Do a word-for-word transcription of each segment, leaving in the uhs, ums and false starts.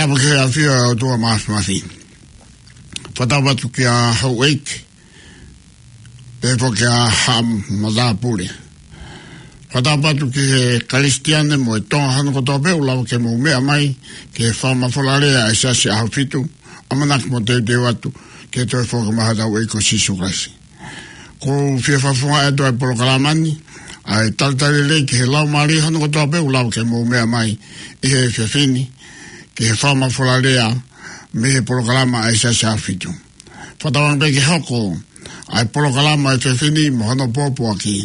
ʻApa ki he ʻafio ʻa e ʻOtua Māfimafi. Fakatapu atu kia houʻeiki, pehē foki kia haʻa matāpule. Fakatapu atu ki he Kalisitiane mo e Tonga hono kotoa pē ʻoku lava ke mou meʻa mai ki he fakamafola lea ʻa e Siasi ʻAhofitu, ʻamanaki mo teuteu atu ki he toe foki mai hotau ʻEiki ko Sīsū Kalaisi. ʻOku ou fie fakafofongaʻi atu ʻa e polokalama ni, ʻa e talitali lelei ki he laumālie hono kotoa pē ʻoku lava ke mou meʻa mai ʻi he efiafi ni ki he fakamafola lea mei he polokalama ʻa e Siasi ʻAhofitu. Fakatauange pē ke hoko ʻa e polokalama ʻo e efiafi ni mo hono pōpoaki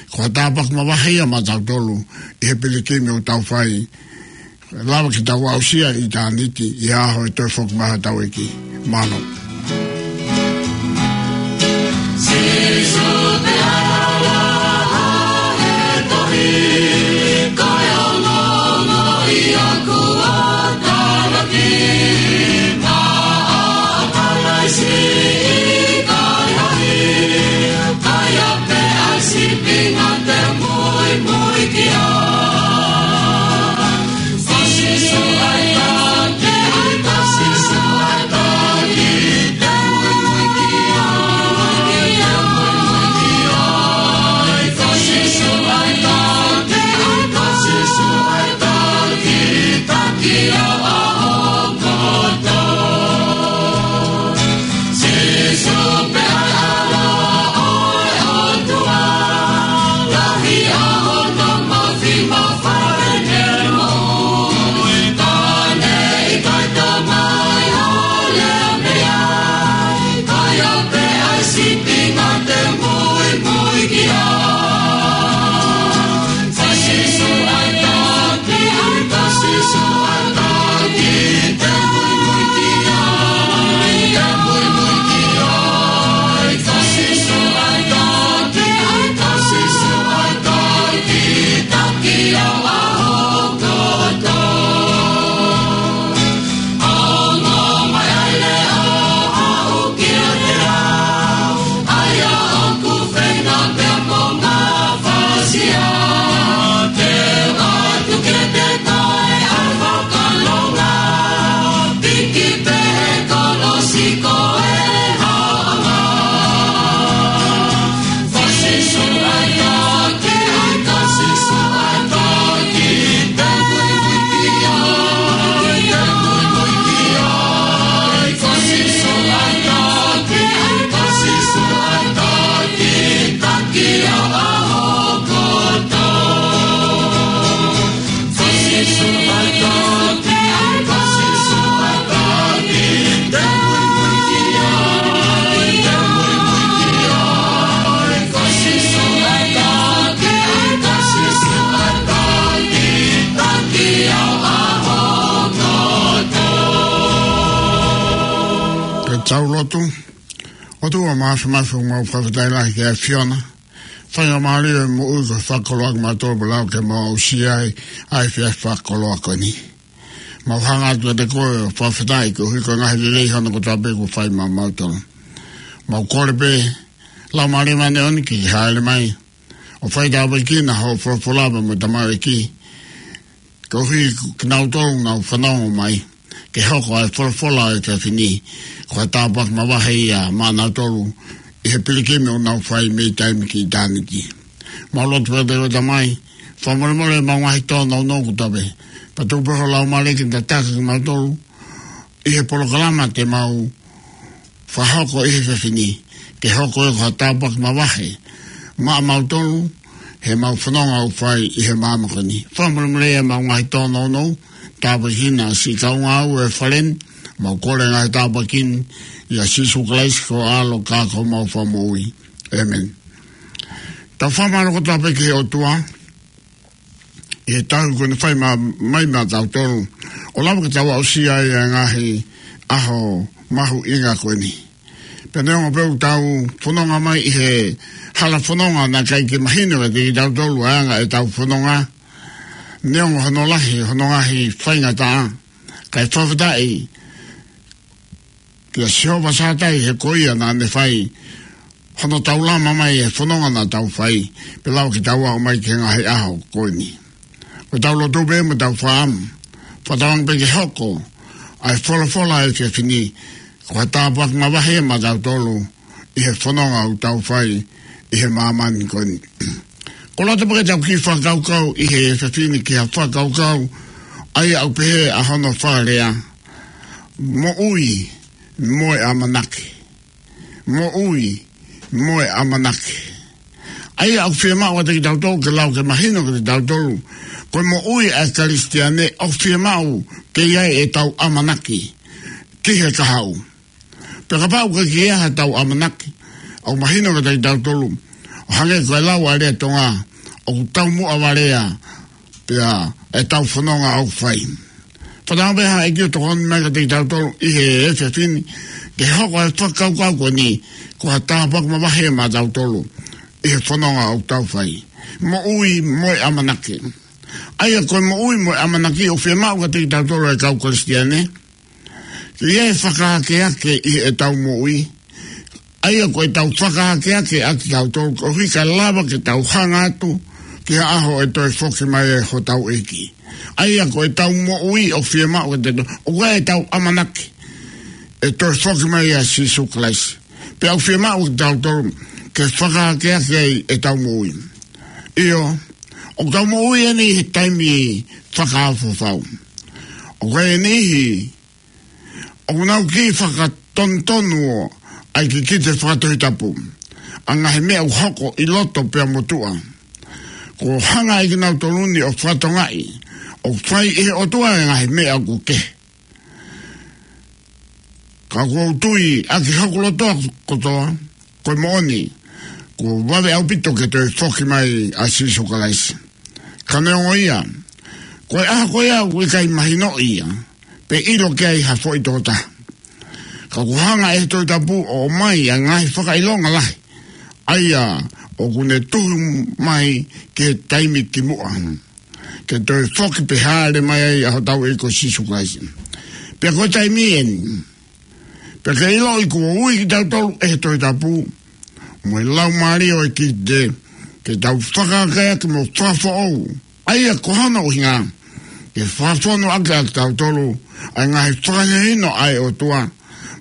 ko ha tāpuaki mavahe ia maʻatautolu ʻi he pilikimi ʻoku tau fai, lava ke tau aʻusia ʻitāniti ʻi he ʻaho ʻe toe foki mai ai hotau ʻEiki. Mālō. Ke tau lotu. ʻOtua Māfimafi, ʻoku mau fakafetaʻi lahi ki he ʻAfiona. Faingamālie ʻo e moʻui ko e fakakoloa kimautolu pea lava ke mau aʻusia ai ʻa e efiafi fakakoloa ko eni. Mau hanga atu kiate koe ʻo fakafetaʻi koeʻuhi ko e ngaahi lelei hono kotoa pē kuo fai maʻamautolu. Mau kole pē Laumālie Māʻoniʻoni ke ke hāʻele mai ʻo faitāpuekina hoʻo folofola pea mo e tamaioʻeiki, koeʻuhi ko kinautolu ʻoku nau fanongo mai, ke hoko ʻa e folofola ʻo e efiafi ni ko ha tāpuaki mavahe ia maʻanautolu ʻi he pilikimi ʻoku nau fai mei taimi ki ʻitāniti. Mau lotu pē kiate koe Tamai, fakamolemole ʻemau ngaahi tōnounou kotoa pē, pea tuku pē ho Laumālie ke ne tataki kimautolu ʻi he polokalama te mau fakahoko ʻi he efiafi ni, ke hoko ia ko ha tāpuaki mavahe maʻamautolu heʻemau fononga ʻoku fai ʻi he māmani ko eni. Fakamolemole ʻemau ngaahi tōnounou, tāpuekina siʻi kaungāue ʻo e fale ni, mau kole ngaahi tāpuaki ni ʻia Sīsū Kalaisi ko ho ʻAlo ka ko homau Fakamoʻui. ʻĒmeni. Tau fakamālō kotoa pē ki he ʻOtua ʻi he tauhi kuo ne fai ma-, mai maʻatautolu, ʻo lava ke tau aʻusia ai ʻa e ngaahi ʻaho mahuʻinga ko eni. Pea neongo pē ʻoku tau fononga mai ʻi he hala fononga naʻe ʻikai ke mahino kiate kitautolu ʻa e anga ʻetau fononga, neongo hono lahi hono ngaahi faingataʻa, kae fakafetaʻi kia Sihova Sātai he ko ia naʻa ne fai hono taulama mai e fononga naʻa tau fai, pea lava ke tau aʻu mai ki he ngaahi ʻaho ko eni. ʻOku tau lotu pē mo tau fakaʻamu, fakatauange pē ke hoko ʻa e folofola ʻa e efiafi ni, ko ha tāpuaki mavahe ia maʻatautolu ʻi he fononga ʻoku tau fai ʻi he māmani ko eni. Ko e loto pē ke tau kiʻi fakakaukau ʻi he efiafi ni ki ha fakakaukau ʻa ia ʻoku pehē ʻa hono fakalea: moʻui mo e ʻamanaki. Moʻui mo e ʻamanaki. ʻA ia ʻoku fiemaʻu ʻa kitautolu ke lau ke mahino kiate kitautolu, ko e moʻui ʻa e Kalisitiane ʻoku fiemaʻu ke ʻi ai ʻetau ʻamanaki ki he kahaʻu. Pea kapau ʻoku ʻikai ke ʻi ai haʻatau ʻamanaki, ʻoku mahino kiate kitautolu, ʻo hangē ko e lau ʻa e lea Tonga, ʻoku taumuʻa valea pea ʻetau fononga ʻoku fai. Fakatauange pē ʻe he ʻEiki ʻo tokoni mai kiate kitautolu ʻi he efiafi ni, ke hoko e fakakaukau ko eni ko ha tāpuaki mavahe maʻatautolu ʻi he fononga ʻoku tau fai. Moʻui mo e ʻamanaki. ʻA ia ko e moʻui mo e ʻamanaki ʻoku fiemaʻu kiate kitautolu ʻa e kau Kalisitiane, ke ʻi ai e fakaakeake ʻi heʻetau moʻui. ʻA ia ko ʻetau fakaakeake ʻa kitautolu, koeʻuhi kae lava ke tau hanga atu ki he ʻaho ʻe toe foki mai ai hotau ʻEiki. ʻA ia ko ʻetau moʻui ʻoku fiemaʻu ke te, ʻoku ʻi ai ʻetau ʻamanaki ʻe toe foki mai ʻa Sīsū Kalaisi. Pea ʻoku fiemaʻu kitautolu ke fakaakeake ai ʻetau moʻui. ʻIo, ʻoku tau moʻui eni he taimi fakaofo fau. ʻOku ʻi ai e niʻihi ʻoku nau kiʻi fakatonutonu ʻa e kikite fakatohitapu, ʻa e ngaahi meʻa ʻoku hoko ʻi loto pea mo tuʻa. Kuo hanga ʻe kinautolu ni ʻo fakatokangaʻi ʻoku fai ʻe he ʻOtua e ngaahi meʻa ʻoku kehe. Ka ʻoku ou tui ʻaki hoku loto kotoa, ko e moʻoni, kuo vave ʻaupito ke toe foki mai ʻa Sīsū Kalaisi. Ka neongo ia, ko e ʻaho ko ia ʻoku ʻikai mahinoʻi ia, pe ʻilo ki ai ha foʻi tokotaha. Ka kuo hanga ʻe he Tohi Tapu ʻo ʻomai ʻa e ngaahi fakaʻilonga lahi, ʻa ia ʻoku ne tuhu mai ki he taimi kimuʻa, ke toe foki pe hāʻele mai ai ʻa hotau ʻEiki ko Sīsū Kalaisi. Pea ko e taimi eni, pea ke ʻiloʻi kuo ui kitautolu ʻe he Tohi Tapu mo e Laumālie ʻo e kikite, ke tau fakaakeake mo fakafoʻou. ʻA ia ko hono ʻuhinga, ke fakafonu ʻaki ʻa kitautolu ʻa e ngaahi fakahinohino ʻa e ʻOtua,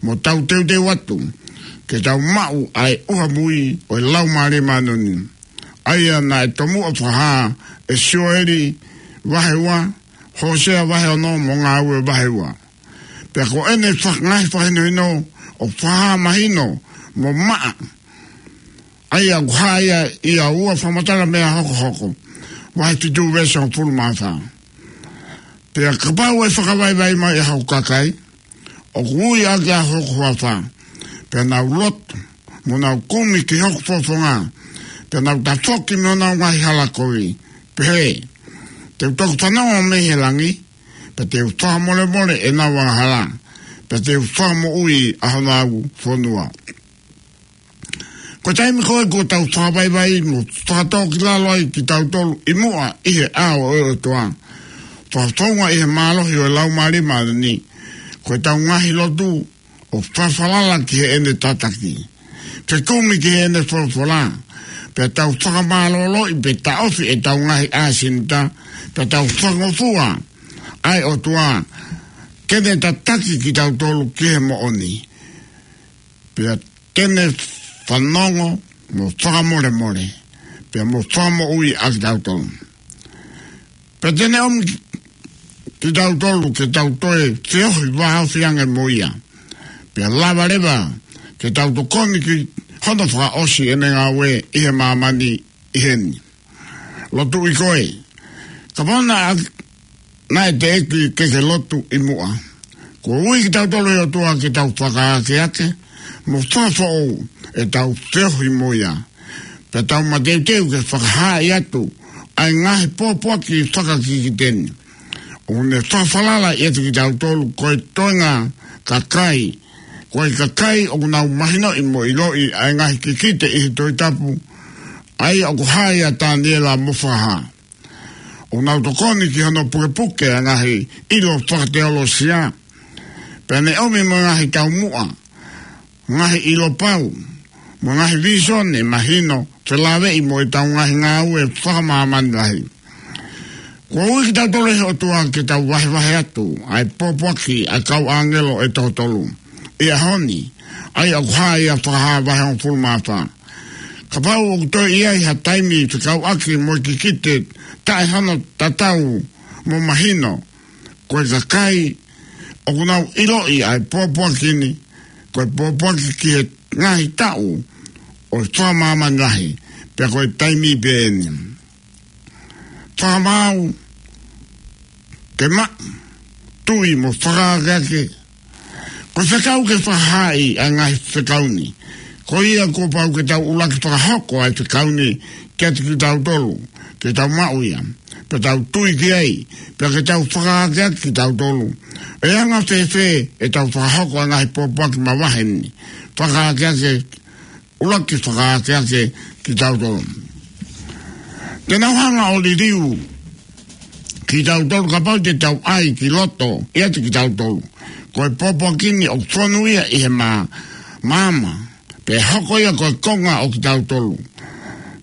mo tau teuteu atu ke tau maʻu ʻa e ʻuha mui ʻo e Laumālie Māʻoniʻoni. ʻA ia naʻe tomuʻa fakahā ʻe Sioeli vahe ua, Hōsea vahe ono mo Ngāue vahe ua. Pea ko ʻene faka-, ngaahi fakahinohino ʻoku fakahā mahino mo maʻa, ʻa ia ʻoku hā ia ʻi he ua Fakamatala Meʻa Hokohoko vahe fitu veesi hongofulu mā fā. Pea kapau ʻe fakavaivai mai ʻa hoku kakai, ʻoku ui ʻaki ʻa hoku huafa, pea nau lotu, mo nau kumi ki hoku fofonga, pea nau tafoki mei honau ngaahi hala kovi, pehē, te u toki fanongo mei he langi, pea te u fakamolemole ʻenau angahala, pea te u fakamoʻui ʻa honau fonua. Ko e taimi ko ē kuo tau fakavaivai mo fakatōkilalo ai kitautolu ʻi muʻa ʻi he ʻao ʻo e ʻOtua, fakafounga ʻi he mālohi ʻo e Laumālie Māʻoniʻoni, ko ʻetau ngaahi lotu ʻo fakafalala ki heʻene tataki, fekumi ki heʻene folofola, pea tau fakamālōloʻi pe taʻofi ʻetau ngaahi ʻāsenita, pea tau fakangofua ʻa e ʻOtua ke ne tataki kitautolu ki he moʻoni, pea te ne fanongo mo fakamolemole, pea mo fakamoʻui ʻa kitautolu. Pea te ne ʻomi kitautolu ke tau toe feohi vāofi ange mo ia, pea lava leva ke tau tokoni ki hono fakaʻosi ʻene ngāue ʻi he māmani ʻi heni. Lotuʻi koe. Kapau naʻa, naʻe teʻeki ke ke lotu ʻi muʻa, kuo ui kitautolu ʻe he ʻOtua ke tau fakaakeake mo fakafoʻou ʻetau feohi mo ia, pea tau mateuteu ke fakahaaʻi atu ʻa e ngaahi pōpoaki fakakikite ni. ʻOku ne fakafalala ʻiate kitautolu ko e toenga kakai, ko e kakai ʻoku nau mahinoʻi mo ʻiloʻi ʻa e ngaahi kikite ʻi he Tohi Tapu, ʻa ia ʻoku hā ʻia Taniela mo Fakahā. ʻOku nau tokoni ki hono pukepuke ʻa e ngaahi ʻilo fakateolosia, pea ne ʻomi mo e ngaahi taumuʻa, ngaahi ʻilo pau, mo e ngaahi vīsone mahino felāveʻi mo ʻetau ngaahi ngāue fakamāmani lahi. Kuo ui kitautolu ʻe he ʻOtua ke tau vahevahe atu ʻa e pōpoaki ʻa e kau ʻāngelo ʻe toko tolu ʻi he ʻaho ni, ʻa ia ʻoku hā ʻi he Fakahā vahe hongofulu mā fā. Kapau ʻoku toe ʻi ai ha taimi fekauʻaki mo e kikite taʻe hano tatau mo mahino, ko e kakai ʻoku nau ʻiloʻi ʻa e pōpoaki ni, ko e pōpoaki ki he ngaahi taʻu ʻo e fakamāmani lahi, pea ko e taimi pē eni. Fakamaau, ke maʻu, tui mo fakaakeake. Ko e fekau ke fakahaaʻi ʻa e ngaahi fekau ni. Ko ia kuo pau ke tau ʻuluaki fakahoko ʻa e fekau ni kiate kitautolu, ke tau maʻu ia, pea tau tui ki ai, pea ke tau fakaakeake kitautolu. ʻE anga fēfē ʻetau fakahoko ʻa e ngaahi pōpoaki mavahe ni? Fakaakeake, ʻuluaki fakaakeake kitautolu. Te nau hanga ʻo liliu kitautolu kapau te tau ʻai ki loto ʻiate kitautolu ko e pōpoaki ni ʻoku fonu ia ʻi he mā-, maama, pea hoko ia ko e konga ʻo kitautolu.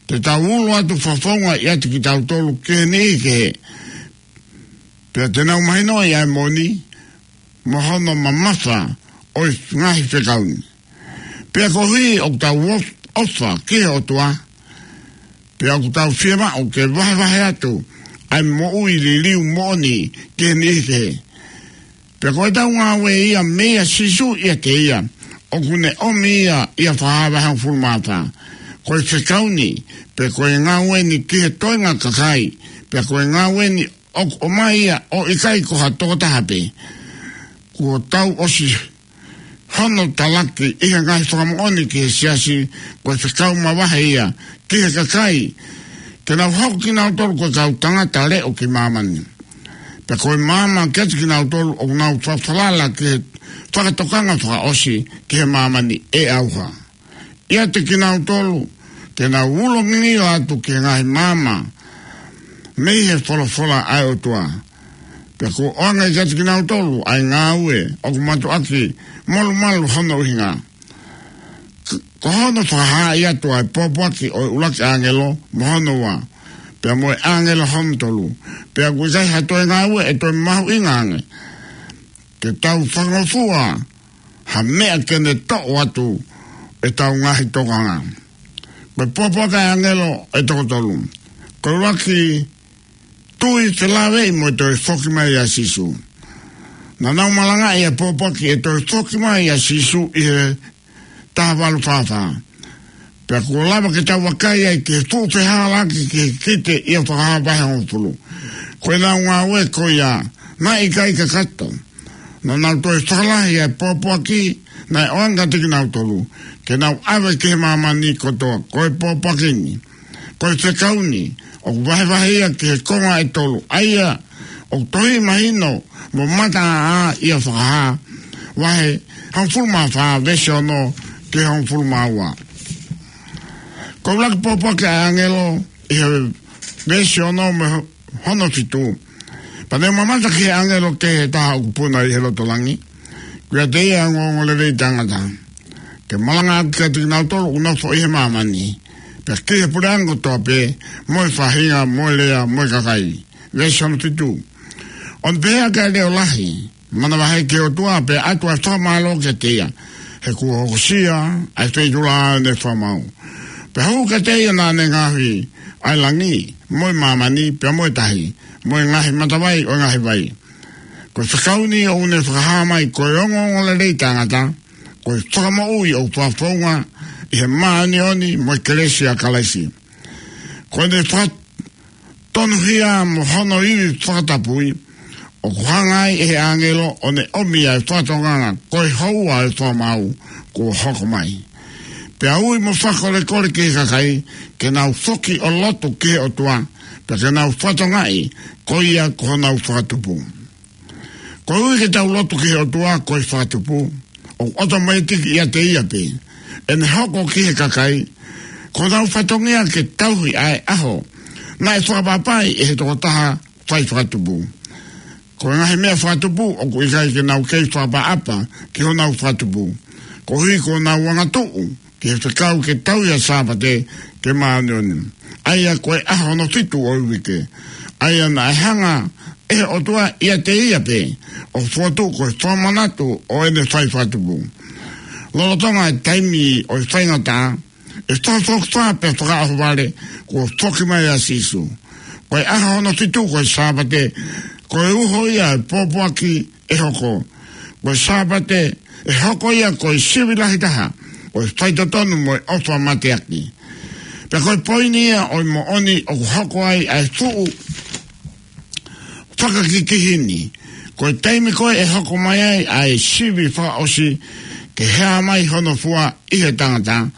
Te tau ulo atu fakafofonga ʻiate kitautolu ki he niʻihi kehe, pea te nau mahinoʻi ʻa e moʻoni mo hono mamafa ʻo e ngaahi fekau ni. Pea koeʻuhi ʻoku tau ʻof-, ʻofa ki he ʻOtua, pea ʻoku tau fiemaʻu ke vahevahe atu ʻa e moʻui liliu moʻoni ki he niʻihi kehe. Pea ko ʻetau ngāue ia meia Sīsū ʻiate ia, ʻoku ne ʻomi ia ʻi he Fakahā vahe hongofulu mā fā. Ko e fekau ni, pea ko e ngāue ni ki he toenga kakai, pea ko e ngāue ni ʻoku ʻomai ia ʻo ʻikai ko ha tokotaha pē. Kuo tau ʻosi hono talaki ʻi he ngaahi fakamoʻoni ki he siasi, ko e fekau mavahe ia ki he kakai, ke nau hoko kinautolu ko e kau tangata leʻo ki māmani. Pea ko e maama kiate kinautolu ʻoku nau fafalala ki he fakatokanga fakaʻosi ki he māmani ʻe ʻauha. ʻIate kinautolu, te nau ulo ngingila atu ki he ngaahi maama mei he folofola ʻa e ʻOtua. Pea kuo ʻoange kiate kinautolu ʻa e ngāue ʻoku mātuʻaki molumalu hono ʻuhinga. K-, ko hono fakahaaʻi atu ʻa e pōpoaki ʻo e ʻuluaki ʻāngelo mo hono ua, pea mo e ʻāngelo hono tolu. Pea ʻoku ʻikai ha toe ngāue ʻe toe mahuʻinga ange ke tau fakangofua ha meʻa ke ne toʻo atu ʻetau ngaahi tokanga. Ko e pōpoaki ʻa e ʻāngelo ʻe toko tolu. Ko e ʻuluaki, tui felāveʻi mo e toe foki mai ʻa Sīsū. Naʻa nau malangaʻi ʻa e pōpoaki ʻe toe foki mai ʻa Sīsū ʻi he taha valu fā fā. Pea kuo lava ke tau vakai ai ki he fuʻu fehālaaki ki he kikite ʻi he Fakahā vahe hongofulu. Ko ʻenau ngāue ko ia naʻe ʻikai kakato. Naʻa nau toe fakalahi ʻa e pōpoaki naʻe ʻoange kiate kinautolu, ke nau ʻave ki he māmani kotoa, ko e pōpoaki ni, ko e fekau ni, ʻoku vahevahe ia ki he konga ʻe tolu, ʻa ia ʻoku tohi mahino mo mataʻāʻā ʻi he Fakahā vahe hongofulu mā fā, veesi ono ki he hongofulu mā ua. Ko e ʻuluaki pōpoaki ʻa e ʻāngelo ʻi he veesi ono mo e ho-, hono fitu. Pea ne u mamata ki he ʻāngelo kehe ʻe taha ʻoku puna ʻi he loto langi, ko ia ʻoku ʻiate ia ʻa e ongoongolelei taʻengata, ke malanga ʻaki kiate kinautolu ʻoku nofo ʻi he māmani, pea ki he puleʻanga kotoa pē, mo e faʻahinga, mo e lea, mo e kakai. Veesi ono fitu. ʻO ne pehē ʻaki ʻa e leʻo lahi, manavahē ki he ʻOtua, pea ʻatu ʻa e fakamālō kiate ia, he kuo hokosia ʻa e feituʻula ʻo ʻene fakamaau. Pea hū kiate ia naʻa ne ngaohi ʻa e langi, mo e māmani, pea mo e tahi, mo e ngaahi matavai ʻo e ngaahi vai. Ko e fekau ni ʻoku ne fakahā mai ko e ongoongolelei taʻengata, ko e fakamoʻui ʻoku fakafounga ʻi he māʻoniʻoni mo e kelesi ʻa Kalaisi. Ko ʻene fakatonuhia mo hono ivi fakatapui, ʻoku hanga ai ʻe he ʻāngelo ʻo ne ʻomi ʻa e fakatokanga ko e houa ʻo e fakamaau kuo hoko mai. Pea ui mo fakakolekole ki he kakai, ke nau foki ʻo lotu ki he ʻOtua, pea ke nau fakatokangaʻi ko ia ko honau fakatupu. Koeʻuhi ke tau lotu ki he ʻOtua ko e fakatupu, ʻoku ʻotomaitiki ʻiate ia pē ʻene hoko ki he kakai ko honau fatongia ke tauhi ʻa e ʻaho naʻe fakaʻapaʻapaʻi ʻe he tokotaha fai fakatupu. Ko e ngaahi meʻa fakatupu ʻoku ʻikai ke nau kei fakaʻapaʻapa ki honau fakatupu, koeʻuhi ko honau angatuʻu ki he fekau ke tauhi ʻa e Sāpate ke māʻoniʻoni, ʻa ia ko e ʻaho hono fitu ʻo e uike. ʻA ia naʻe hanga ʻe he ʻOtua ʻiate ia pē ʻo fokotuʻu ko e fakamanatu ʻo ʻene fai fakatupu. Lolotonga e taimi ʻo e faingataʻa, ʻe fakafoki fā pea fakaʻohovale, kuo foki mai ʻa Sīsū. Ko e ʻaho hono fitu ko e Sāpate, ko e uho ia e pōpoaki ʻe hoko. Ko e Sāpate ʻe hoko ia ko e sivi lahi taha ʻo e faitotonu mo e ʻofa mateaki. Pea ko e poini ia ʻo e moʻoni ʻoku hoko ai ʻa e fuʻu fakakikihi ni. Ko e taimi ko ē ʻe hoko mai ai ʻa e sivi fakaʻosi ke hā mai hono fua ʻi he tangata,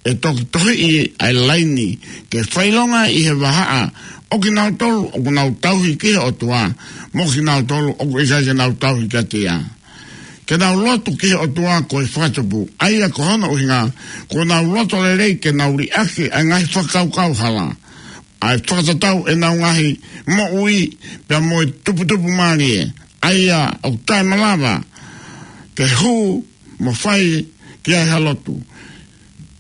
ʻe toki tohiʻi ʻa e laini ke fakaʻilonga ʻi he vahaʻa ʻo kinautolu ʻoku nau tauhi ki he ʻOtua, mo kinautolu ʻoku ʻikai ke nau tauhi kiate ia. Ke nau lotu ki he ʻOtua ko e fakatupu, ʻa ia ko hono ʻuhinga, kuo nau loto lelei ke nau liʻaki ʻa e ngaahi fakakaukau hala, ʻa e fakatatau ʻenau ngaahi moʻui pea mo e tuputupu mālie, ʻa ia ʻoku taʻemalava ke hū mo fai ki ai ha lotu.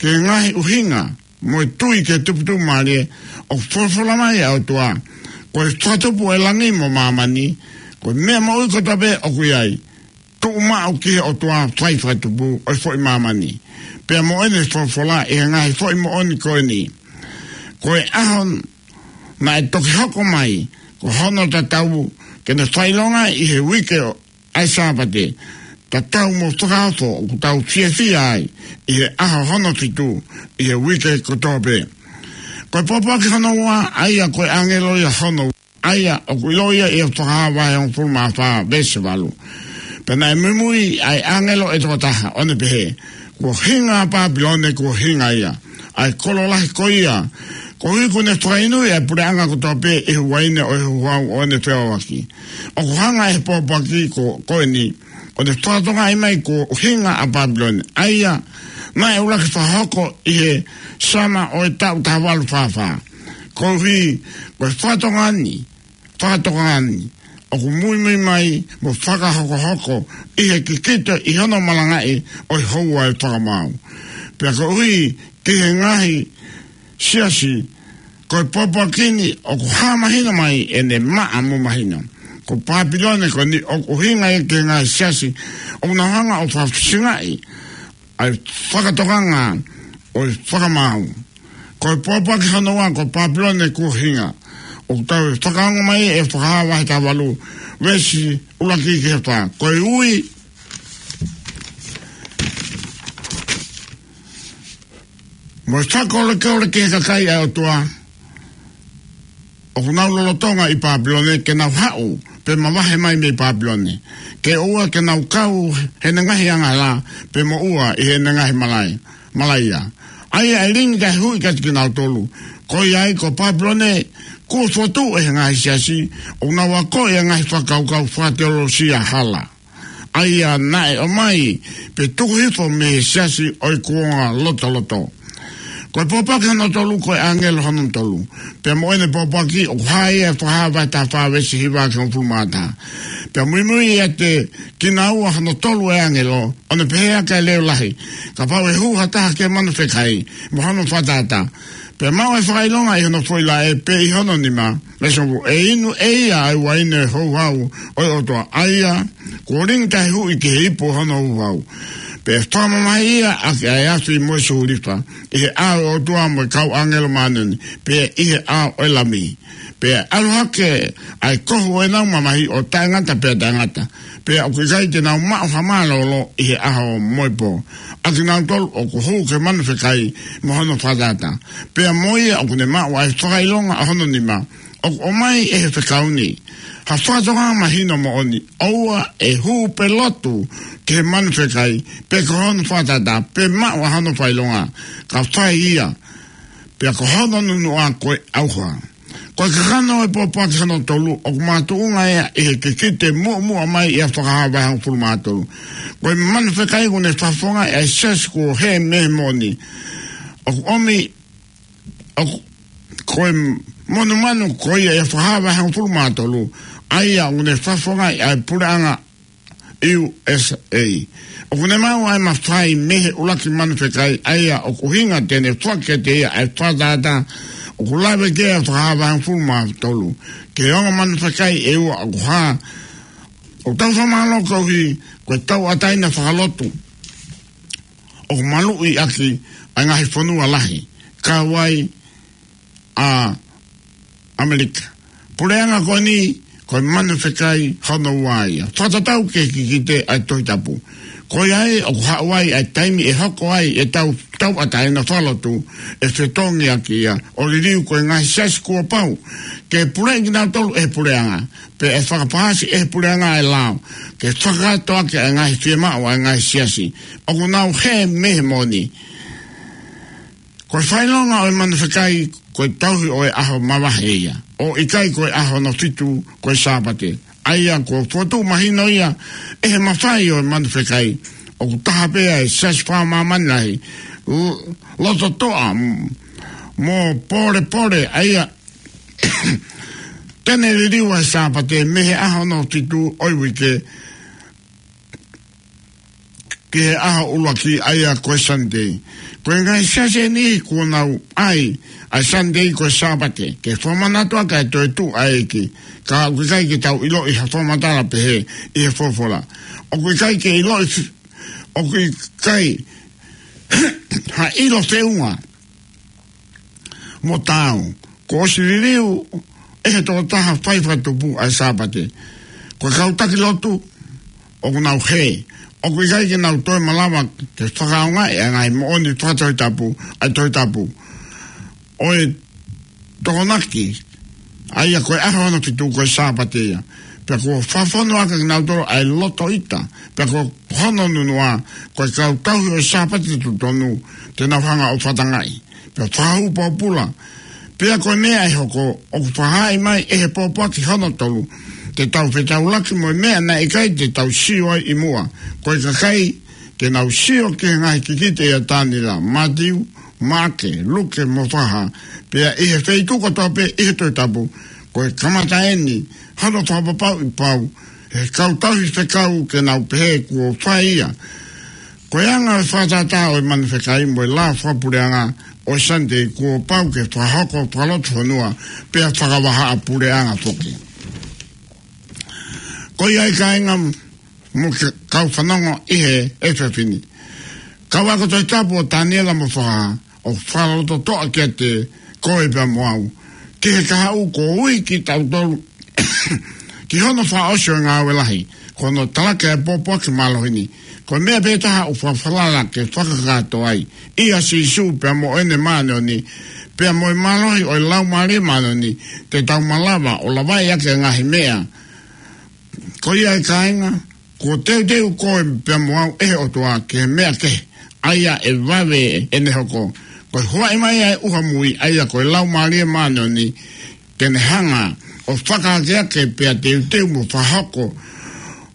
Ki he ngaahi ʻuhinga mo e tui ki he tuputupu mālie, ʻoku folofola mai ʻa e ʻOtua, ko e fakatupu ʻo e langi mo māmani, ko e meʻa moʻui kotoa pē ʻoku ʻi ai, tuʻu maʻu ki he ʻOtua fai fakatupu ʻo e foʻi māmani. Pea mo ʻene folofola ʻi he ngaahi foʻi moʻoni ko eni. Ko e ʻaho naʻe toki hoko mai, ko hono tatau ke ne fakaʻilonga ʻi he uike ʻo ʻa e Sāpate, tatau mo fakaofo ʻoku tau fiefia ai ʻi he ʻaho hono fitu ʻi he uike kotoa pē. Ko e pōpoaki hono ua, ʻa ia ko e ʻāngelo ia hono ua, ʻa ia ʻoku ʻiloa ia ʻi he Fakahā vahe hongofulu mā fā veesi valu. Pea naʻe muimui ʻa e ʻāngelo ʻe toko taha, ʻo ne pehē, Kuo hinga ʻa Pāpilone, kuo hinga ia, ʻa e kolo lahi ko ia, koeʻuhi kuo ne fakainui ʻa e puleʻanga kotoa pē ʻi he uaine ʻo e houhau ʻo ʻene feʻauaki. ʻOku hanga ʻe he pōpoaki ko, ko eni, ʻo ne fakatokangaʻi mai kuo hinga ʻa Pāpilone, ʻa ia naʻe ʻuluaki fakahoko ʻi he summer ʻo e taʻu taha valu fā fā. Koeʻuhi ko e fakatokanga ni, fakatokanga ni ʻoku muimui mai mo fakahokohoko ʻi he kikite ʻi hono malangaʻi ʻo e houa ʻo e fakamaau. Pea koeʻuhi ki he ngaahi siasi, ko e pōpoaki ni ʻoku hā mahino mai ʻene maʻa mo mahino. Ko Pāpilone ko eni ʻoku hinga ia ki he ngaahi siasi ʻoku nau hanga ʻo fakafisingaʻi ʻa e fakatokanga ʻo e fakamaau. Ko e pōpoaki hono ua ko Pāpilone kuo hinga, ʻoku tau fakaongo mai ʻe he Fakahā vahe taha valu veesi ʻuluaki ki he fā. Ko e ui mo e fakakolekoleki ʻe he kakai ʻa e ʻOtua ʻoku nau lolotonga ʻi Pāpilone ke nau haʻu pe mavahe mai mei Pāpilone, ke ʻoua ke nau kau heʻene ngaahi angahala pe moʻua ʻi heʻene ngaahi malai, malaia. ʻA ia ʻe lingi taʻehuʻi kiate kinautolu. Ko ia ai ko Pāpilone kuo fokotuʻu ʻe he ngaahi siasi ʻoku nau akoʻi ʻa e ngaahi fakakaukau fakateolosia hala, ʻa ia naʻe ʻomai pe tuku hifo mei he siasi ʻo e kuonga lotoloto. Ko e pōpoaki hono tolu ko e ʻāngelo hono tolu. Pea mo ʻene pōpoaki ʻoku hā ia ʻi he Fakahā vahe taha fā veesi hiva ki he hongofulu mā taha. Pea muimui ʻiate kinaua hono tolu ʻa e ʻāngelo, ʻo ne pehē ʻaki ʻa e leʻo lahi, Kapau ʻe hū ha taha ki he manu fekai mo hono fakatātā, pea maʻu ʻa e fakaʻilonga ʻi hono foʻi laʻe pe ʻi hono nima, veesi hongofulu, ʻe inu ʻe ia ʻa e uaine houhau ʻo e ʻOtua, ʻa ia kuo lingi taʻehuʻi ki he ipu hono houhau. Pea ʻe fakamamahiʻi ia ʻaki ʻa e afi mo e sulifa ʻi he ʻao ʻo e ʻOtua mo e kau ʻāngelo māʻoniʻoni, pea ʻi he ʻao ʻo e Lami. Pea ʻe ʻalu hake ʻa e kohu ʻo ʻenau mamahi ʻo taʻengata pea taʻengata, pea ʻoku ʻikai te nau maʻu ha mālōlō ʻi he ʻaho mo e pō. ʻA kinautolu ʻoku hū ki he manu fekai mo hono fakatātā, pea mo ia ʻoku ne maʻu ʻa e fakaʻilonga ʻo hono nima, ʻoku ʻomai ʻe he fekau ni ha fakatokanga mahino moʻoni, ʻoua ʻe hū pe lotu ki he manu fekai, pe ko hono fakatātā, pe maʻu ʻa hono fakaʻilonga, ka fai ia, pea ko hono nunuʻa ko e ʻauha. Ko e kakano ʻo e pōpoaki hono tolu ʻoku makatuʻunga ia ʻi he kikite muʻomuʻa mai ʻi he Fakahā vahe hongofulu mā tolu. Ko e manu fekai ʻoku ne fakafofongaʻi ʻa e siasi kuo hē mei he moʻoni. ʻOku ʻomi, ʻoku, ko e monumanu ko ia ʻi he Fakahā vahe hongofulu mā tolu, ʻa ia ʻoku ne fakafofongaʻi ʻa e puleʻanga U S A. ʻOku ne maʻu ʻa e mafai mei he ʻuluaki manu fekai, ʻa ia ʻoku ʻuhinga te ne foaki kiate ia ʻa e fakatātā. ʻOku lave ki ai ʻa e Fakahā vahe hongofulu mā tolu. Ke ongo manu fekai ʻe ua ʻoku hā. ʻOku tau fakamālō koeʻuhi ko e tauʻatāina fakalotu ʻoku maluʻi ʻaki ʻa e ngaahi fonua lahi, kau ai ʻa ʻAmelika. Puleʻanga ko eni, ko e manu fekai hono ua ia. Fakatatau ki he kikite ʻa e Tohi Tapu. Ko ia ai ʻoku haʻu ai ʻa e taimi ʻe hoko ai ʻetau tauʻatāina fakalotu ʻe fetongi ʻaki ia ʻo liliu ko e ngaahi siasi kuo pau ke puleʻi kinautolu ʻe he puleʻanga, pea ʻe fakapaasi ʻe he puleʻanga ʻa e lao ke fakakātoa ʻaki ʻa e ngaahi fiemaʻu ʻa e ngaahi siasi ʻoku nau hē mei he moʻoni. Ko e fakaʻilonga ʻo e manu fekai, ko e tauhi ʻo e ʻaho mavahe ia, ʻo ʻikai ko e ʻaho hono fitu, ko e Sāpate. ʻA ia kuo fokotuʻu mahino ia ʻe he mafai ʻo e manu fekai, ʻoku taha pē ʻa e siasi fakamāmani lahi, l-, lototoʻa, m-, mo pōlepole, ʻa ia te ne liliu ʻa e Sāpate mei he ʻaho hono fitu ʻo e uike ki he ʻaho ʻuluaki, ʻa ia ko e Sunday. Ko e ngaahi siasi ʻe niʻihi kuo nau ʻai ʻa e Sunday ko e Sāpate ke fakamanatu ʻaki ʻa e toetuʻu ʻa e ʻEiki. Ka ʻoku ʻikai ke tau ʻiloʻi ha fakamatala pehē ʻi he folofola. ʻOku ʻikai ke ʻiloʻi fi-, ʻoku ʻikai ha ʻilo feʻunga mo taau. Kuo ʻosi liliu ʻe he tokotaha fai fakatupu ʻa e Sāpate. Ko e kau taki lotu ʻoku nau hē, ʻoku ʻikai ke nau toe malava ke fakaʻaongaʻi ʻa e ngaahi moʻoni fakatohitapu ʻa e Tohi Tapu ʻo e Tokonaki, ʻa ia ko e ʻaho hono fitu ko e Sāpate ia. Pea kuo fakafonu ʻaki kinautolu ʻa e loto ʻita, pea ko hono nunuʻa, ko e kau tauhi ʻo e Sāpate totonu te nau hanga ʻo fakatangaʻi pea fakahū pōpula. Pea ko e meʻa ʻe hoko, ʻoku fakahā mai ʻe he pōpoaki hono tolu, te tau fetaulaki mo e meʻa naʻe ʻikai te tau sio ai ʻi muʻa. Ko e kakai te nau sio ki he ngaahi kikite ʻia Taniela, Mātiu, Maʻake, Luke mo Fakahā. Pea ʻi he feituʻu kotoa pē ʻi he Tohi Tapu, ko e kamata eni hono fakapapauʻi pau ʻe he kau tauhi fekau ke nau pehē kuo fai ia. Ko e anga ʻo e fakatātā ʻo e manu fekai mo e lao fakapuleʻanga ʻo e Sunday kuo pau ke fakahoko fakalotofonua pea fakavahaʻa puleʻanga foki. Ko ia ai kāinga mo e kau fanongo ʻi he efiafi ni, kau ako Tohi Tapu ʻo Taniela mo Fakahā, ʻoku fakalototoʻa kiate koe pea mo au ki he kahaʻu kuo ui kitautolu ki hono fakaʻosi ʻo e ngāue lahi, ko hono talaki ʻa e pōpoaki mālohi ni. Ko e meʻa pē taha ʻoku fakafalala ke fakakakato ai, ʻia Sīsū pea mo ʻene māʻoniʻoni, pea mo e mālohi ʻo e Laumālie Māʻoniʻoni, te tau malava ʻo lavaʻi ʻaki e ngaahi meʻa. Ko ia ai kāinga, kuo teuteu koe pea mo au ʻe he ʻOtua ki he meʻa kehe, ʻa ia ʻe vave ʻene hoko. Ko e huaʻi mai ʻa e ʻuha mui, ʻa ia ko e Laumālie Māʻoniʻoni, te ne hanga ʻo fakaakeake pea teuteu mo fakahoko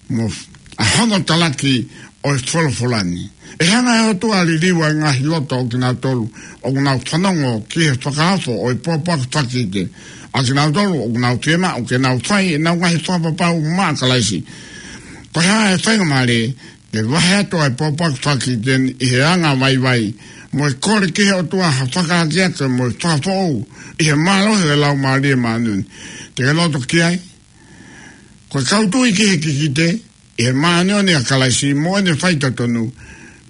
mo f-, ʻa hono talaki ʻo e folofola ni. ʻE hanga ʻe he ʻOtua ʻo liliu ʻa e ngaahi loto ʻo kinautolu ʻoku nau fanongo ki he fakaofo ʻo e pōpoaki fakakikite, ʻa kinautolu ʻoku nau fiemaʻu ke nau fai ʻenau ngaahi fakapapau maʻa Kalaisi. Ko e hā e faingamālie ke vahe atu ʻa e pōpoaki fakakikite ni ʻi he anga vaivai, mo e kole ki he ʻOtua ha fakaakeake mo e fakafoʻou ʻi he mālohi ʻo e Laumālie Māʻoniʻoni? Te ke loto ki ai? Ko e kau tui ki he kikite ʻi he māʻoniʻoni ʻa Kalaisi mo ʻene faitotonu,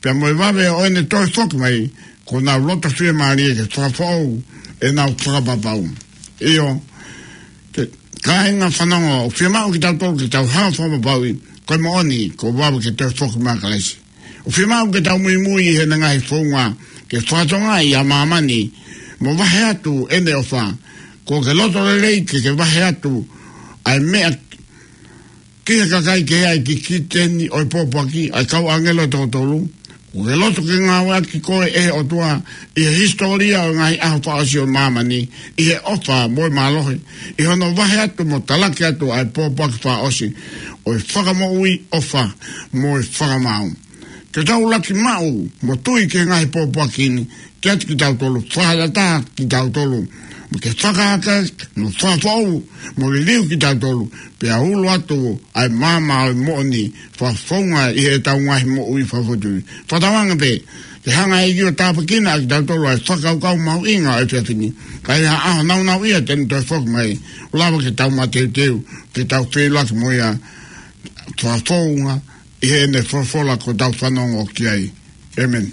pea mo e vave ʻo ʻene toe foki mai, kuo nau loto fiemālie ke fakafoʻou ʻenau fakapapau. ʻIo, ke, kāinga fanongo, ʻoku fiemaʻu kitautolu ke tau hanga ʻo fakapapauʻi ko e moʻoni kuo vave ke toe foki mai ʻa Kalaisi. ʻOku fiemaʻu ke tau muimui ʻi heʻene ngaahi founga ke fakatokangaʻi ʻa māmani mo vahe atu ʻene ʻofa. Kuo ke loto lelei ke ke vahe atu ʻa e meʻa ki he kakai kehe ʻa e kikite ni ʻo e pōpoaki, ʻa e kau ʻāngelo ʻe toko tolu? Kuo ke loto ke ngāueʻaki koe ʻe he ʻOtua ʻi he hisitōlia ʻo e ngaahi ʻaho fakaʻosi ʻo māmani, ʻi he ʻofa mo e mālohi, ʻi hono vahe atu mo talaki atu ʻa e pōpoaki fakaʻosi ʻo e fakamoʻui, ʻofa mo e fakamaau? Ke tau laki maʻu mo tui ki he ngaahi pōpoaki ni kiate kitautolu, fakatātā kitautolu, mo ke fakaake, mo fakafoʻou, mo liliu kitautolu, pea ulo atu ʻa e maama ʻo e moʻoni fakafounga ʻi heʻetau ngaahi moʻui fakafoʻituitui. Fakatauange pē Ke hanga ʻe ia ʻo tāpuekina ʻa kitautolu ʻa e fakakaukau mahuʻinga ʻo e efiafi ni. Ka ʻi ha ʻaho nāunauʻia te ne toe foki mai, ʻo lava ke tau mateuteu, ke tau feʻiloaki mo ia fakafounga ʻi heʻene folofola kuo tau fanongo ki ai. ʻĒmeni.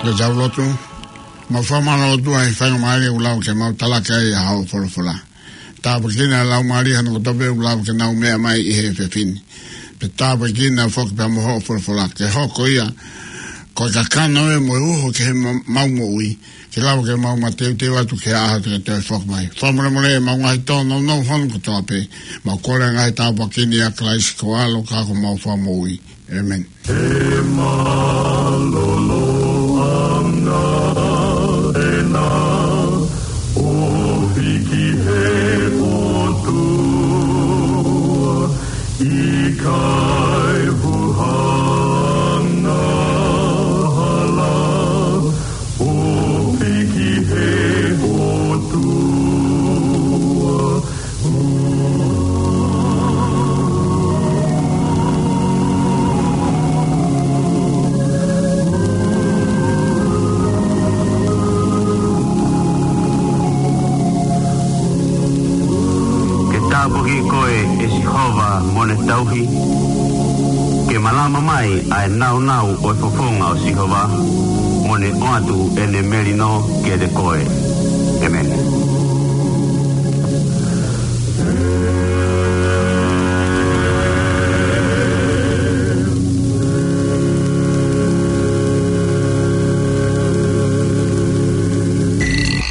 Ke tau lotu. Mau fakamālō ʻOtua he faingamālie ʻoku lau ke mau talaki ai ʻa hoʻo folofola. Tāpuekina ʻa e Laumālie hono kotoa pē ʻoku lau ke nau meʻa mai ʻi he efiafi ni. Pea tāpuekina foki pea mo hoʻo folofola ke hoko ia ko e kakano ē mo e uho ki he ma-, mau moʻui. Ke lava ke mau mateuteu atu ki he ʻaho te ke toe foki mai. Fakamolemole ʻemau ngaahi tōnounou hono kotoa pē. Mau kole ngaahi tāpuaki ni ʻia Kalaisi ko ho ʻAlo ka ko homau Fakamoʻui. ʻĒmeni. He mālōlō ʻanga ena ʻo hiki he ʻOtua, ʻikai huhanga hala ʻo hiki he ʻOtua. Ke tāpuaki koe ʻe Sihova mo ʻene tauhi, ke malama mai ʻa e nāunau ʻo e fofonga ʻo Sihova, mo ne ʻoatu ʻene melino kiate koe. ʻĒmeni.